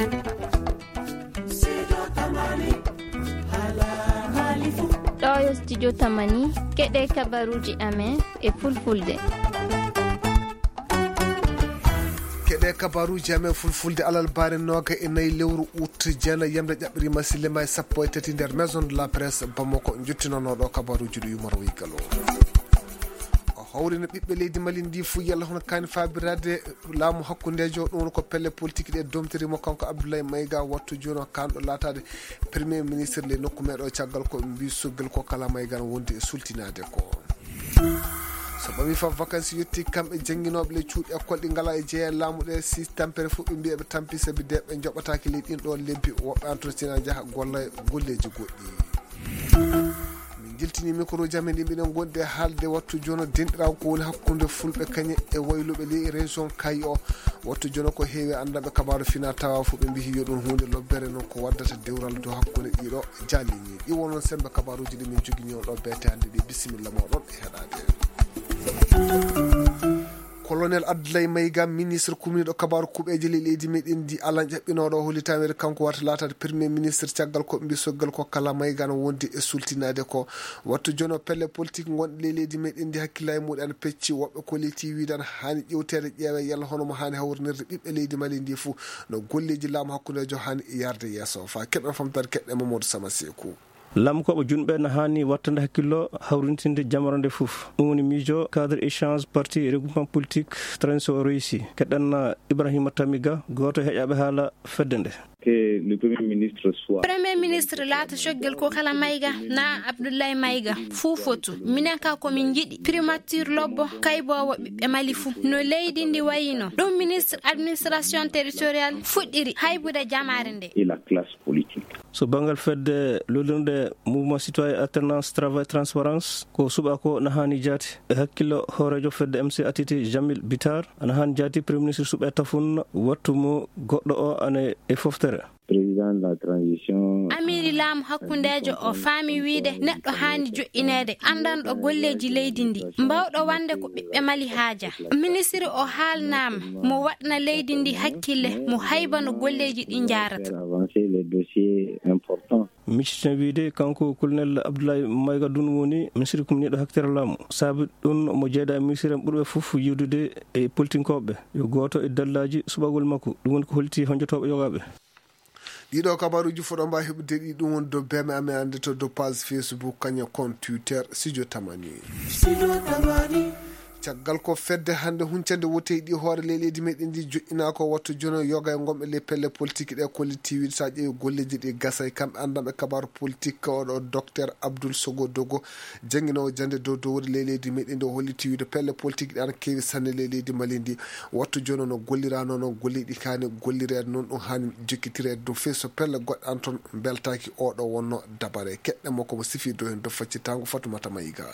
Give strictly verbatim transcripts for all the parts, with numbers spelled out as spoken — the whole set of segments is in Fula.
Ɗo yo studio Tamani, keɗe kabaruuji amen e fulfulde. Keɗe kabaruuji amen fulfulde alarba nooga e nayi lewru ut, jeenayi yamde ƴaɓɓiri ma sillema e sappo e tati nder Maison de la Presse Bamako, njottinooɗo kabaruuji ɗo Yumaro Wigalo. O hawrina ɓiɓɓe leydi Mali ndi fuu yalla hono kaani faabiraade laamu hakkundeejo, ɗum woni ko pelle politique ɗe domtiri mo kanko Abdoulaye Maïga, wattu jooni o kaanɗo laataade premier ministre ley nokku meeɗo caggal ko mbi sogel ko kala Maïga no wondi e sultinaade ko. So ɓami fa vacances yetti kamɓe jannginooɓe ley cuuɗi école ɗi ngalaa e jeeya laamu ɗe, si tampere fof ɓe mbiya ɓe tampi sabi de ɓe njoɓataaki ley ɗin ɗo lebbi, woɓɓe an toon sina njaha golla e golleeji goɗɗi. Min jiltini micro ji amen ɗi mbiɗen gondi e haalde wattu jono denɗiraagu ko woni hakkunde fulɓe kañe e wayluɓe ley région Kayi o. Wattu jono ko heewi anndaɓe kabaaru fina tawa fof ɓe mbihi yo ɗum huunde lobbere noon ko waddata dewral dow hakkunde ɗiɗo jaalini. Ɗi wonon sembe kabaruuji ɗi min jogini on ɗo beete hannde ɗi. Bisimilla moɗon e heɗaade. Colonel Abdoulaye Maïga, ministre kumniiɗo kabaaru kuɓeeje ley leydi meɗen ndi, Alan ƴaɓɓinooɗo o hollitaa weeto kanko wata laataade premier ministre caggal ko mbi soggal ko kala Maïga no wondi e sultinaade ko. Wattu jono pelle politique ngonɗe ley leydi meɗen ndi hakkillaaji muɗi ana pecci, woɓɓe ko ley tiwiide ana haani ƴewteede ƴeewe yalla hono mo haani hawrinirde ɓiɓɓe leydi Mali ndi fuu no golleeji laamu hakkundeejo haani yarde yeeso. Fa keɓen famtaade keɗɗe Mamadou Sama Seeku. Laamkooɓe junɓe na haani wattande hakkillo hawrintinde jamaro nde fof. Ɗum woni miijo cadre échange parti regroupement politique transition réussi. Keɗɗen Ibrahima Tamiga, gooto e heƴaaɓe haala fedde nde. Que le Premier ministre soit. Premier ministre laata coggel ko kala Maïga na Abdoulaye Maïga, fuu fotu. Minen ka ko min njiɗi primature lobbo kayboowo ɓiɓɓe Mali fuu. No leydi ndi wayino. Ɗum ministre administration territoriale fuɗɗiri haybude jamaare nde. Et la classe politique. So banngal fedde lollirde mouvement citoyen alternance travail transparence, ko suɓa ko na haani jaati. E hakkillo hooreejo fedde M C A T T Jamil Bitar, ana haani jaati premier ministre suɓe tafun wattu mo goɗɗo o ane e foftere. Président de la transition. Amiri laamu hakkundeejo o faami wiide neɗɗo haani joƴƴineede anndanɗo golleeji leydi ndi, mbawɗo wande ko ɓiɓɓe Mali haaja. Ministre o haalnaama mo waɗna leydi ndi hakkille, mo haybano golleeji ɗi njaarata. Faire avancer les dossiers importants. Micciten wiide kanko colonel Abdoulaye Maïga ɗum woni ministre kumniiɗo haktere laamu. Saabi ɗum mo jeeɗa e ministre en ɓurɓe fof yiwdude e politinkooɓe. Yo gooto e dallaaji suɓagol makko. Ɗum woni ko holti honjotooɓe yogaaɓe. Ɗiɗo kabaruuji fof ɗo mbaawi heɓude ɗi, ɗum woni dow B M amen annde to dow page Facebook, kañum compte Twitter, Studio Tamani. Studio Tamani. Caggal ko fedde hannde huncande woteyɗi hoore ley leydi meɗen ndi joƴƴinaa ko wattu jono yoga e ngonɓe ley pelle politique ɗe kolliti wiide so a ƴeewi golleeji ɗi gasa e kamɓe anndanɓe kabaaru politique oɗo docteur Abdoul Sogo Dogo, jannginoowo jannde dow dowri ley leydi meɗen ndi o holliti wiide pelle politique ɗi ana keewi sanne ley leydi Mali ndi. Wattu jono no gollirano noon golleeji ɗi kaani gollireede noon ɗum haani jokkitireede dow feeso pelle goɗɗe an toon mbeltaaki oɗo wonno dabare. Keɗɗe mo ko mo sifi dow heen dow faccitango Fatoumata Maïga.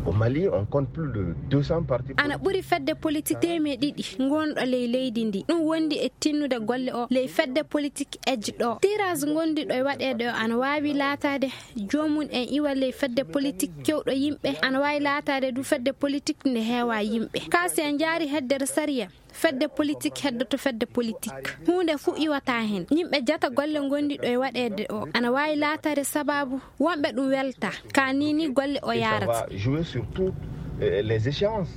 Au Mali, on compte plus de deux cents partis politiques. Ana ɓuri fedde politique teemeɗe ɗiɗi ngonɗo ley leydi ndi. Ɗum wondi e tinnude golle o ley fedde politique ejji ɗo. Tirage ngondiɗo e waɗeede o ana waawi laataade joomum en iwa ley fedde politique kewɗo yimɓe. Ana waawi laataade du fedde politique nde heewa yimɓe. Ka si en njaari heddere sariya, fedde politique heddoto fedde politique. Huunde fuu iwata heen. Yimɓe jata golle ngondiɗo e waɗeede o ana waawi laataade sababu wonɓe ɗum welta. Ka ni ni golle o yaarata. Et ça va jouer sur toutes, euh, les échéances.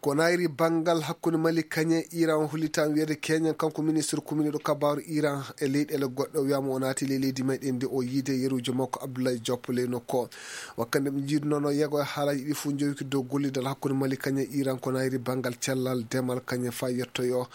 Ko nayri banngal hakkunde Mali kañe Iran hollitan wiyede keñen kanko ministre kuminiɗo kabaaru Iran e leyɗeele goɗɗe o wiyama o naati ley leydi meɗen nde o yiide yerujo makko Abdoulaye Diop ley nokko. Wakkande ɓe njiidunono yego e haalaji ɗi fof jowki dow gollidal hakkunde Mali kañe Iran ko nayri banngal cellal demal kañe fa yettoyo.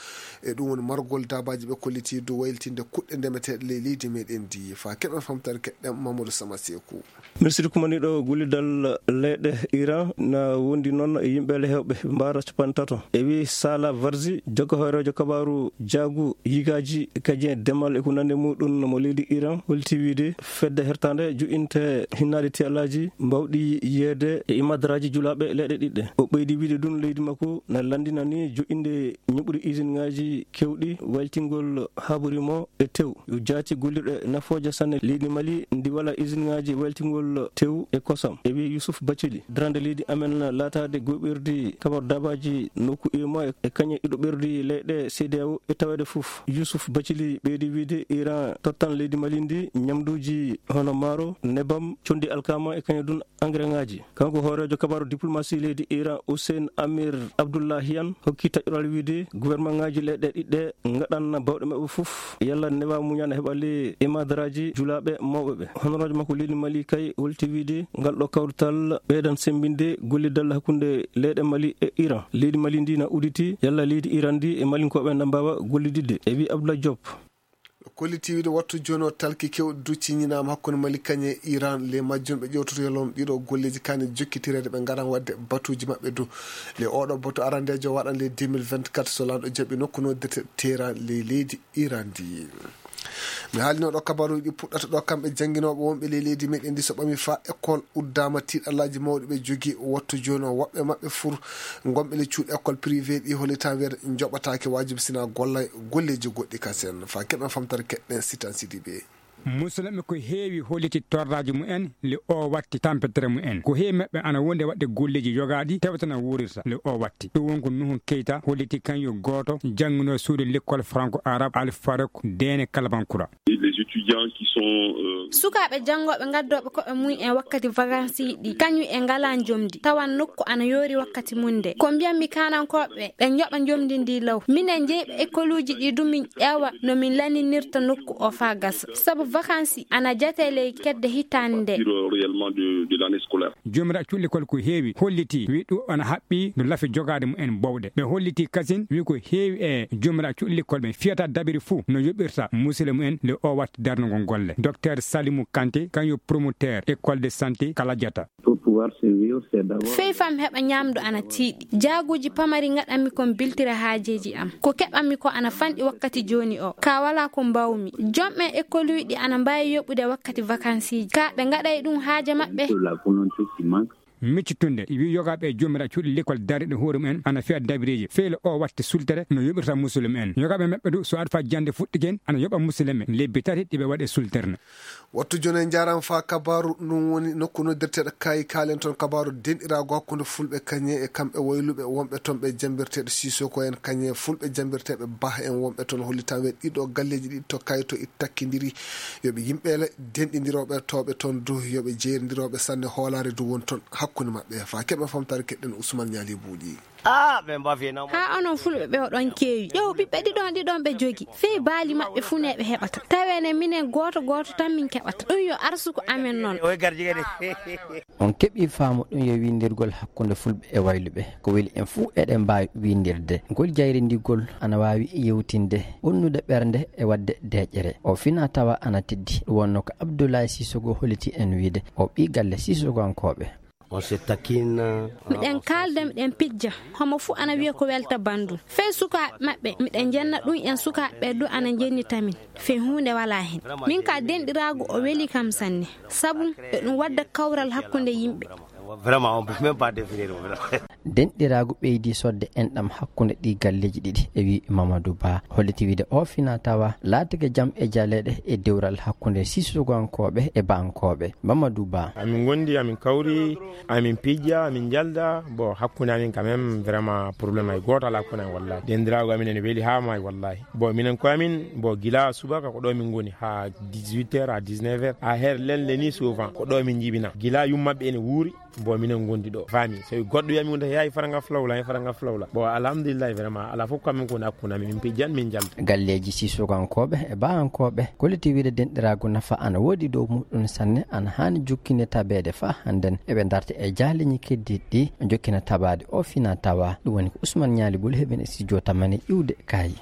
E ɗum woni margol dabaji ɓe kolliti dow waylitinde kuɗɗe ndemeteɗe ley leydi meɗen ndi fa keɓen famtare keɗɗen Mamadou Sama Sekou. Ministre kumaniɗo gollidal leyɗe Iran na wondi noon e yimɓe le hewɓe mbaara capanɗe tato. E wi Sala Varzi, jaggo hooreejo kabaaru jaagu yigaaji kajin e demal e ko nande muɗum mo leydi Iran, holti wiide fedde hertande juɓɓinte hinnaade tiyalaaji mbawɗi yeede e imadaraaji julaaɓe leyɗe ɗiɗɗe. O ɓeydi wiide ɗum leydi makko na lanndinani joƴƴinde ñuɓri usine ŋaaji kewɗi waytingol habori mo e tew. Yo jaati gollirɗe nafooje sanne leydi Mali ndi wala usine ŋaaji waytingol tew e kosam. E wi Youssouf Bathily, darande leydi amen laataade goɓirdi kabar Waaji nokku U E M O A e kañe ɗiɗo ɓerdi leyɗe C D A O e taweede fof. Yusuf Bacili ɓeydi wiyde Iran tottan leydi Mali ndi ñamduuji hono maaro, nebam, conndi alkama e kañum dun engrais ŋaaji. Kanko hooreejo kabaaru diplomasi leydi Iran Hussein Amir Abdullahian hokki taƴoral wiyde gouvernement ŋaaji leyɗe ɗiɗɗe ngaɗan bawɗe maɓɓe fof yalla newa muñana heɓa le imadaraaji julaaɓe mawɓe ɓe. Honoraajo makko leydi Mali kay holti wiyde ngal ɗo kawrital ɓeydan semmbinde gollidal hakkunde leyɗe Mali e Iran. Leydi Mali ndi na uditi yalla leydi Iran ndi e Malinkooɓe na mbaawa gollididde, e wi Abdoulaye Diop. Kolliti wiyde wattu jooni o talki kewɗi du ciññinaama hakkunde Mali kañe e Iran. Ley majjum ɓe ƴewtoto yalon ɗiɗo golleeji kaani jokkitireede ɓe ngaran waɗde batuuji maɓɓe du. Ley oɗo batu arandeejo waɗan ley deux mille vingt-quatre so lanɗo jaɓi nokku noddirte Teheran ley leydi Iran ndi. Mi haalino ɗo kabaruuji ɗi puɗɗata ɗo kamɓe jannginooɓe wonɓe ley leydi meɗen ndi so ɓami fa école uddaama tiiɗallaaji mawɗi ɓe jogi wattu jooni o woɓɓe maɓɓe fur gonɓe le cuuɗi école privé ɗi hollitan weer njoɓataake waajibi sina golla golleeji goɗɗi kasen fa keɓen famtare keɗɗen sitan sidiɓe. Musulɓe ko heewi holliti torraaji mumen le o watti tampetere mumen. Ko heewi maɓɓe ana wonde waɗde golleeji yogaaɗi tewtana wuurirta le o watti. Ɗum won ko Nuhu Keita holliti kan yo gooto jannguno suudu l'école franco-arabe Al Farouk Dene Kalabankura. Les étudiants qui sont, euh, Sukaaɓe janngooɓe ngaddooɓe koɓe mum en wakkati vacances ɗi, kañum en ngalaa njomdi, tawan nokku ana yoori wakkati mum nde. Ko mbiyanmi kaanankooɓe ɓe njoɓa njomdi ndi law. Minen jeyɓe écoluuji ɗi du min ƴeewa no min laninirta nokku o faa gasa. Sabu vacances ana jatee ley kedde hitaande nde. Sur, euh, réellement de, de l'année scolaire. Jomira cuɗlikol ko heewi holliti, wi ɗum ana haɓɓi no lafi jogaade mumen bowɗe. Ɓe holliti kasin, wi ko heewi e jomira cuɗlikol ɓe fiyata dabiri fuu no yoɓirta musidɓe mumen le o watta darnugol golle. Docteur Salimou Kanté, kañum promoteur école de santé Kaladiata. Pour pouvoir survivre, c'est d'abord. Fey fam heɓa ñaamdu ana tiiɗi. Jaaguuji pamari ngaɗanmi kon biltira haajeeji am. Ko keɓanmi ko ana fanɗi wakkati jooni o. Ka walaa ko mbawmi. Jomɓe école uji ɗi ana mbaawi yoɓude wakkati vacances ji. Ka ɓe ngaɗay ɗum haaje maɓɓe. Pour la volonté qui manque. Miccitunde, wi yogaaɓe e jomira cuuɗi l'école darriɗe hoore mumen ana fiya dabireeji. Feylo o watte sultere no yoɓirta musulum en. Yogaaɓe maɓɓe du so aɗa fa jannde fuɗɗigen ana yoɓa musulum en. Lebbi tati ɗiɓe waɗe sulterne. Wattu jooni en njaaraama faa kabaaru, ɗum woni nokku noddirteeɗo Kaayi, kaalen toon kabaaru denɗiraagu hakkunde Fulɓe kañe e kamɓe wayluɓe wonɓe toon ɓe jammbirteeɗo Sisoko en kañe Fulɓe jammbirteeɓe Bah en wonɓe toon hollitan ɓe ɗiɗo galleeji ɗiɗi to Kaayi to itti takkindiri yo ɓe yimɓe le denɗindirooɓe tooɓe toon du yo ɓe jeyrindirooɓe sanne hoolaare du woni toon hakkunde maɓɓe. Faa keɓen famtaare keɗɗen Usman Ñaali Buuɗi. Ah, ɓe mbafi na. Haa onon Fulɓe ɓe oɗon keewi. Ƴeew ɓiɓɓe ɗiɗon ɗiɗon ɓe jogi. Fey baali maɓɓe fuu ne ɓe heɓata. Tawene minen gooto gooto tan min keɓata. Ɗum yo arsuko amen noon. Oy garjigede. On keɓii faamu ɗum yo winndirgol hakkunde Fulɓe e wayluɓe. Ko weli en fuu eɗen mbaawi winndirde. Ngol jayrindigol ana waawi yewtinde, ɓonnude ɓernde e waɗde deeƴere. O fina tawa ana teddi. Ɗum wonno ko Abdoulaye Sissoko holliti en wiide o ɓii galle Sissokoankooɓe. On se taquine. Miɗen kaalda, miɗen pijja. Homo fuu ana wiya ko welta banndum. Fey sukaaɓe maɓɓe, miɗen njenna ɗum en sukaaɓe ɓe du ana njennita min. Fey huunde walaa heen. Min ka denɗiraagu o weli kam sanne. Sabu eɗum wadda kawral hakkunde yimɓe. Vraiment, on peut même pas définir, vraiment. Denɗiraagu ɓeydi sodde enɗam hakkunde ɗii galleeji ɗiɗi, e wi Mamadou Ba. Holliti wiide o fina tawa laatike jam e jaleeɗe e dewral hakkunde Sissokoankooɓe e Bahankooɓe. Mamadou Ba. Amin ngondi, amin kawri, amin pijja, amin njalda. Bon, hakkunde amin quand même, vraiment, problème hay gooto alaa hakkunde amin, wallahi. Denɗiraagu amin ene weli haa maayi, wallahi. Bon, minen ko amin, bon, gila subaka ko ɗo min ngoni, haa dix-huit heures à dix-neuf heures. A her lelle ni souvent, ko ɗo min njibina. Gila yummaɓe ene wuuri, bon, minen ngondi ɗo. Fami, so goɗɗo wiya mi wonta yahi faranga flawla, yahi faranga flawla. Bon, alhamdulillah, vraiment, ala fof ko amin ko woni hakkunde amin, min pijjan, min njalda. Galleeji Sissokoankooɓe e Bahankooɓe, kolliti wiide denɗiraagu nafa ana woodi dow muɗum sanne, ana haani jokkinde tabeede faa hannden. Eɓe ndarta e jaaleeji keddiiɗi ɗi, jokkina tabaade o fina tawa. Ɗum woni ko Ousmane Ñaali Bul heɓen e studio tamani iwde Kaayi.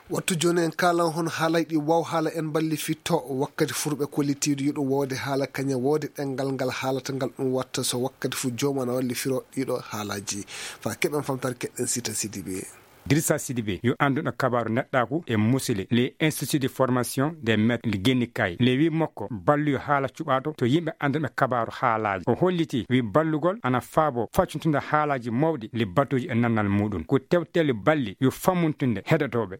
Wattu jooni en kaalan hono haalay ɗi waw haala en mballi fitto wakkati furɓe kollitiiɗo yiɗo woode haala kañe woode ɗenngal ngal haalata ngal ɗum watta so wakkati fu joomum ana walli firo ɗiɗo haalaaji. Faa keɓen famtaare keɗɗen Sita Sidibe. Dirisa Sidibe yo annduɗo kabaaru neɗɗaaku e musile, le Institut de formation des maîtres Ligeni Kay, le wi makko balluyo haala cuɓaaɗo to yimɓe annduɓe kabaaru haalaaji. O holliti wi ballugol ana faabo faccutunde haalaaji mawɗi, le batuuji e nannal muɗum. Ko tewteli balli yo fammuntunde heɗotooɓe.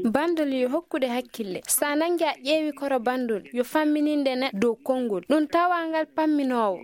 Bandol yo hokkude hakkille. Sa nangi a ƴeewi koro bandol, yo fammininde ne dow konngol. Ɗum tawa ngal pamminoowo.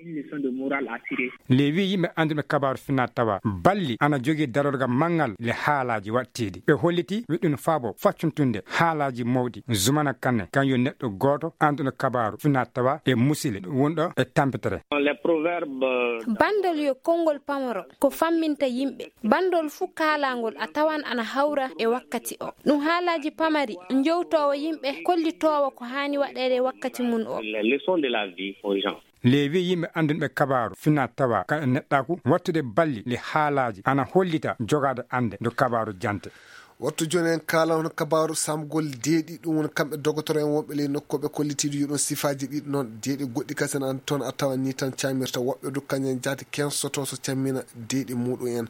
Le wi yimɓe annduɓe kabaaru fina tawa balli ana jogii darorga manngal le haalaaji waɗtiiɗi. Ɓe holliti wi ɗum faabo faccuntunde haalaaji mawɗi. Zumana Kanne, kan yo neɗɗo gooto annduɗo kabaaru fina tawa e musile wonɗo e tampitere. Bandol yo konngol pamaro ko famminta yimɓe. Bandol fuu kaalangol a tawan ana hawra e wakkati o. Ɗum haalaaji pamari, njowtoowo yimɓe, kollitoowo ko haani waɗeede e wakkati mum o. Les leçons de la vie aux gens. Le wi yimɓe annduɓe kabaaru fina tawa ka e neɗɗaaku, wattude balli le haalaaji ana hollita jogaade annde ndo kabaaru jante. Wattu jooni en kaala hono kabaaru samgol deeɗi, ɗum woni kamɓe dogotoro en wonɓe ley nokku ɓe kollitiiɗo yo ɗum sifaaji ɗiɗi noon deeɗi goɗɗi kasen an toon a tawa ni tan camirta woɓɓe du kañen jaati kensoto so cammina deeɗi muɗum en.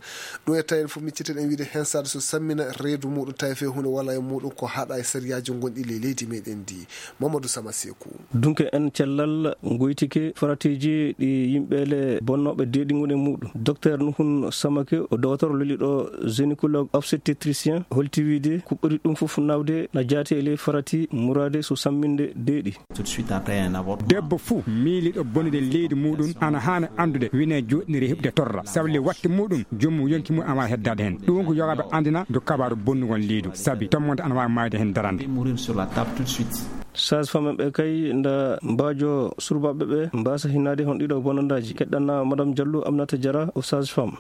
Ɗum e tawi en fof micciten en wiide hensaade so sammina reedu muɗum tawi fe hunde wala e muɗum ko haɗa e sariyaaji gonɗi ley leydi meɗen ndi. Mamadou Sama Seku. Dunke en cellal ngoytike faratiiji ɗi yimɓe le bonnooɓe deeɗi ngoni e muɗum. Docteur Nuhun Samake o dogotoro leliɗo gynécologue obstétricien holti wiide ko ɓuri ɗum fof nawde na jaati e ley farati muraade so samminde deeɗi. Tout de suite après un avortement. Debbo fuu miiliɗo bonude leydi muɗum ana haana anndude wine joɗɗiniri heɓde torra sabu le watti muɗum joomum yonki mum ana waawi heddaade heen. Ɗum ko yogaɓe anndina do kabaaru bonnugol leydu sabi tommonde ana waawi maayde heen darande. Mourir sur la table tout de suite. Sage-femme ɓe kay nda mbaajo surbaɓe ɓe mbasa hinnaade hon ɗiɗo bonandaaji. Keɗɗanna Madame Diallo Aminata Diarra o sage-femme.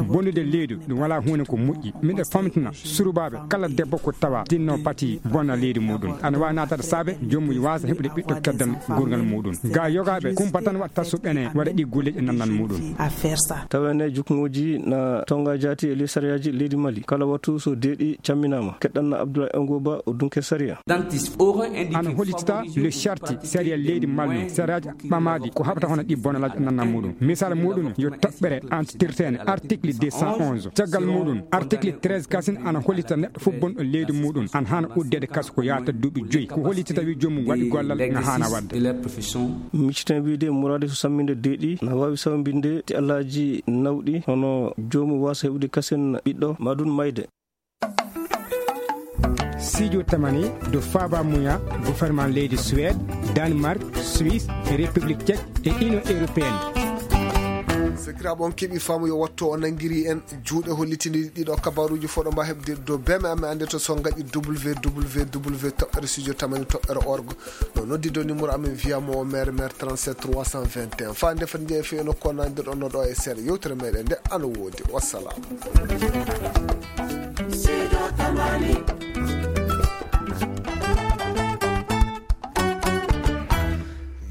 Bonude leydi ɗum wala huunde ko moƴƴi. Miɗo famtina surbaɓe kala debbo ko tawa tinno pati bona leydi muɗum ana waawi naatade saabe joomum waasa heɓude ɓiɗɗo keddan gurngal muɗum. Ga yogaɓe kumpa tan watta so ɓene waɗa ɗi golleji e nannal muɗum. Tawene juknguji na tonga jaati e ley sariyaaji leydi Mali kala wattu so deeɗi camminama. Keɗɗanna Abdoulaye Ongoba o dunke sariya. Ana holitita le charti sariya leydi mallu sariyaji ɓamaɗi ko haɓata hono ɗi bonalaji nanna muɗum. Misal muɗum yo toɓɓere antitirtene article deux cent onze. Caggal muɗum article treize kasin ana holita neɗɗo fof bonɗo leydi muɗum ana hana uddede kaso ko yata duuɓi joyi ko holitita wi joomum waɗi gollal no hana wadde. Micciten wiide murade so samminde deeɗi na wawi sawbinde ti allaji nawɗi hono joomum wasa heɓude kasen ɓiɗɗo maɗum mayde. Sidio Tamani do Faba Muya, gouvernement leydi Suède, Danemark, Suisse, République Tchèque et Union Européenne. Sakiraaɓe on keɓi faamu yo wattu o nangiri en juuɗe hollitini ɗiɗo kabaruji foɗo mba heɓde do beme amen ande to so ngaɗi www toɓɓere studio tamani toɓɓere org. No noddido numéro amen via mo o maire maire trente-sept trois cent vingt et un fa nde fati jeefe no konandirɗo no ɗo e seeɗa yewtere meɗen nde ano woodi. Wassalam.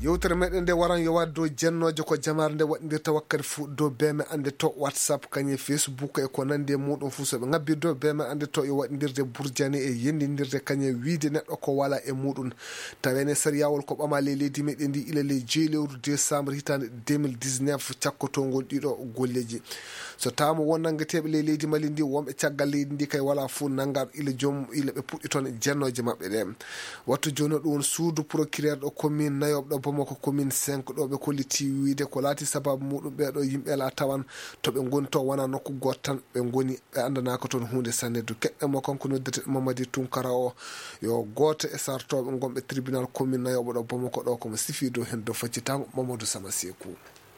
Yewtere meɗen nde waran yo waɗ dow jennooje ko jamaare nde waɗndirta wakkati fuu dow beme ande to whatsapp kañe facebook e ko nandi e muɗum fuu so ɓe ngabbi dow beme ande to yo waɗndirde burjani e yendindirde kañe wiide neɗɗo ko wala e muɗum. Tawene sariyawol ko ɓama ley leydi meɗen ndi ila ley jeyi lewru décembre hitande deux mille dix-neuf cakkotongol ɗiɗo golleji. So tawama won nanngeteeɓe ley leydi mali ndi wonɓe caggal leydi ndi kay wala fof nanngaɗo ila joom ila ɓe puɗɗi toon jennooje maɓɓe ɗe. Wattu jooni ɗum won suudu procureur ɗo commune nayoɓe ɗo bomoko commune cinq ɗo ɓe kolliti wiide ko laati sababu muɗum ɓeɗo yimɓe la tawan to ɓe ngoni to wona nokku goto tan ɓe ngoni. Ɓe anndanaaka toon huunde sanne du keɗɗe mo kanko noddete mamadi tunkara o yo gooto e sartooɓe ngonɓe tribunal commune nayoɓo ɗo bomoko ɗo komo sifi dow heen dow faccitango mamadou sama seeku.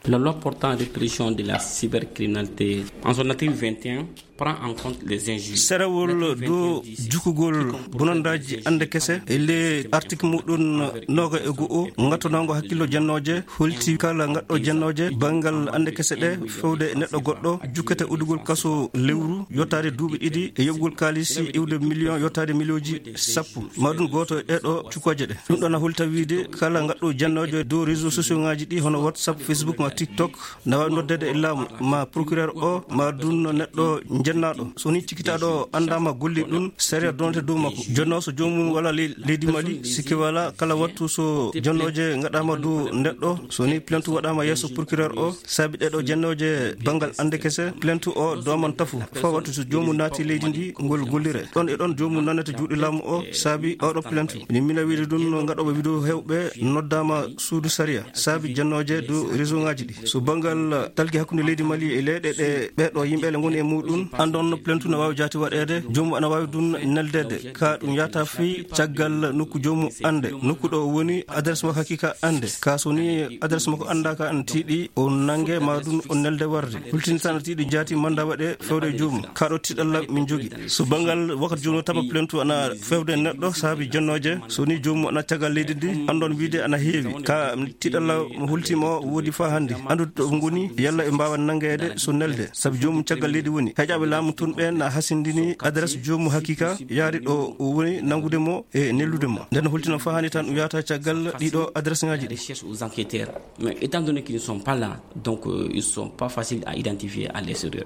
La loi portant répression de la cybercriminalité en son article vingt et un prend en compte les injures. Serewol dow jukugol bonondaji ande kese e le article muɗum noga e go'o gattonango hakkillo jennooje holti kala gaɗɗo jennooje banngal ande kese ɗe fewde e neɗɗo goɗɗo jukkete udugol kaso lewru yottaade duuɓi ɗiɗi e yoɓugol kaalisi iwde million yottaade millionji sappo. Maɗum gooto e ɗeɗo cukooje ɗe ɗum ɗon a holta wiide kala gaɗɗo jennoojo e dow réseau sociaux ngaji ɗi hono whatsapp facebook ma TikTok na waawi noddeede e laamu, ma procureur o, ma dun neɗɗo jennaaɗo. So ni cikkitaaɗo o anndaama golli ɗun, sariya donate dow makko. Jonno so joomum wala ley-, leydi Mali, sikke wala kala wattu so jonnooje ngaɗaama dow neɗɗo, so ni plainte waɗaama yeeso procureur o, saabi ɗeɗo jonnooje banngal annde kese, plainte o dooman tafu. Faa wattu so joomum naati leydi ndi, ngol gollire. Ɗon e ɗon joomum nanata juuɗe laamu o, saabi oɗo plainte. Ni mina wiide ɗun no ngaɗooɓe vidéo heewɓe noddaama suudu sariya, saabi jonnooje dow réseau ŋaaji ɗi. So banngal talki hakkunde leydi Mali e leyɗe ɗe ɓeeɗo yimɓe le ngoni e muɗum, andon plainte no waawi jaati waɗeede, joomum ana waawi ɗun neldeede. Ka ɗum yahata fii caggal nokku joomum annde, nokku ɗo o woni, adresse makko hakiika annde. Ka so ni adresse makko anndaaka, ana tiiɗi o nange ma ɗum o nelde warde. Hultinita ana tiiɗi jaati manda waɗe fewde e joomum. Ka ɗo tiiɗalla min jogi. So banngal wakkati joomum taba plainte ana fewde e neɗɗo saabi jonnooje, so ni joomum ana caggal leydi ndi, andon wiide ana heewi. Ka tiiɗalla mo hultima o woodi faa hannde. Andude ɗo ngoni, yalla ɓe mbaawa nangeede so nelde. Sabi joomum caggal leydi woni. Heƴaaɓe laamu tun ɓen na hasindini adresse joomum hakiika yaari ɗo o woni nangude mo e neldude mo. Nden hultina faa hannde tan ɗum yahata caggal ɗiɗo adresse ŋaaji ɗi. Recherche aux enquêteurs. Mais étant donné qu'ils ne sont pas là, donc, euh, ils sont pas faciles à identifier à l'extérieur.